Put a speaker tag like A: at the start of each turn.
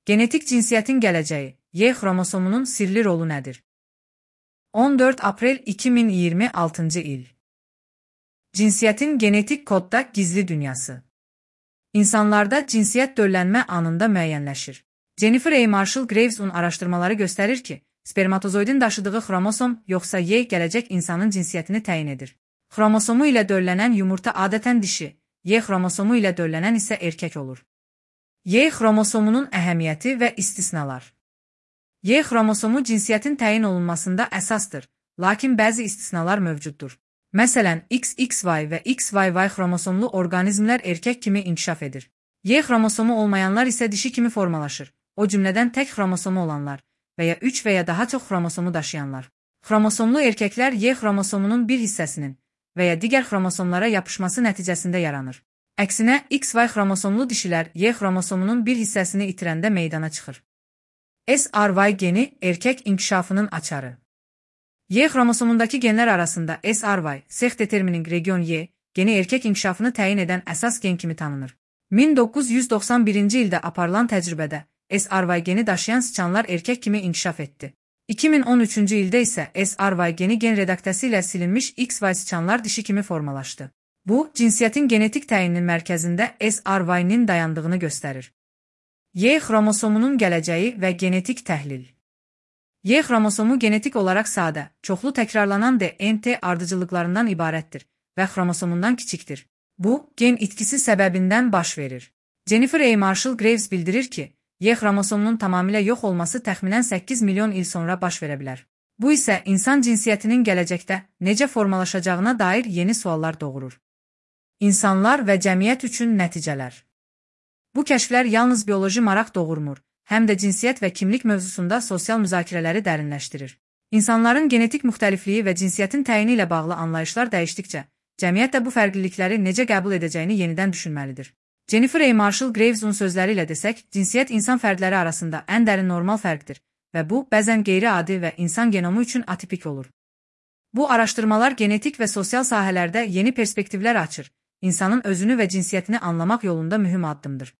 A: Genetik cinsiyyətin gələcəyi, Y xromosomunun sirli rolu nədir? 14 aprel 2026 il. Cinsiyyətin genetik kodda gizli dünyası. İnsanlarda cinsiyyət döllənmə anında müəyyənləşir. Jennifer A. Marshall-Graves'un araşdırmaları göstərir ki, spermatozoidin daşıdığı xromosom yoxsa Y gələcək insanın cinsiyyətini təyin edir. Xromosomu ilə döllənən yumurta adətən dişi, Y xromosomu ilə döllənən isə erkək olur. Y xromosomunun əhəmiyyəti və istisnalar. Y xromosomu cinsiyyətin təyin olunmasında əsasdır, lakin bəzi istisnalar mövcuddur. Məsələn, XXY və XYY xromosomlu orqanizmlər erkək kimi inkişaf edir. Y xromosomu olmayanlar isə dişi kimi formalaşır, o cümlədən tək xromosomu olanlar və ya 3 və ya daha çox xromosomu daşıyanlar. Xromosomlu erkəklər Y xromosomunun bir hissəsinin və ya digər xromosomlara yapışması nəticəsində yaranır. Əksinə, XY xromosomlu dişilər Y xromosomunun bir hissəsini itirəndə meydana çıxır. SRY geni erkək inkişafının açarı. Y xromosomundakı genlər arasında SRY, sex determining region Y, geni erkək inkişafını təyin edən əsas gen kimi tanınır. 1991-ci ildə aparılan təcrübədə SRY geni daşıyan sıçanlar erkək kimi inkişaf etdi. 2013-cü ildə isə SRY geni gen redaktəsi ilə silinmiş XY sıçanlar dişi kimi formalaşdı. Bu, cinsiyyətin genetik təyininin mərkəzində SRY-nin dayandığını göstərir. Y xromosomunun gələcəyi və genetik təhlil. Y xromosomu genetik olaraq sadə, çoxlu təkrarlanan DNT ardıcıllıqlarından ibarətdir və xromosomundan kiçikdir. Bu, gen itkisi səbəbindən baş verir. Jennifer A. Marshall-Graves bildirir ki, Y xromosomunun tamamilə yox olması təxminən 8 milyon il sonra baş verə bilər. Bu isə insan cinsiyyətinin gələcəkdə necə formalaşacağına dair yeni suallar doğurur. İnsanlar və cəmiyyət üçün nəticələr. Bu kəşflər yalnız bioloji maraq doğurmur, həm də cinsiyyət və kimlik mövzusunda sosial müzakirələri dərinləşdirir. İnsanların genetik müxtəlifliyi və cinsiyyətin təyini ilə bağlı anlayışlar dəyişdikcə, cəmiyyət də bu fərqlilikləri necə qəbul edəcəyini yenidən düşünməlidir. Jennifer A. Marshall-Graves'un sözləri ilə desək, cinsiyyət insan fərdləri arasında ən dərin normal fərqdir və bu, bəzən qeyri-adi və insan genomu üçün atipik olur. Bu araşdırmalar genetik və sosial sahələrdə yeni perspektivlər açır, insanın özünü və cinsiyyətini anlamaq yolunda mühüm addımdır.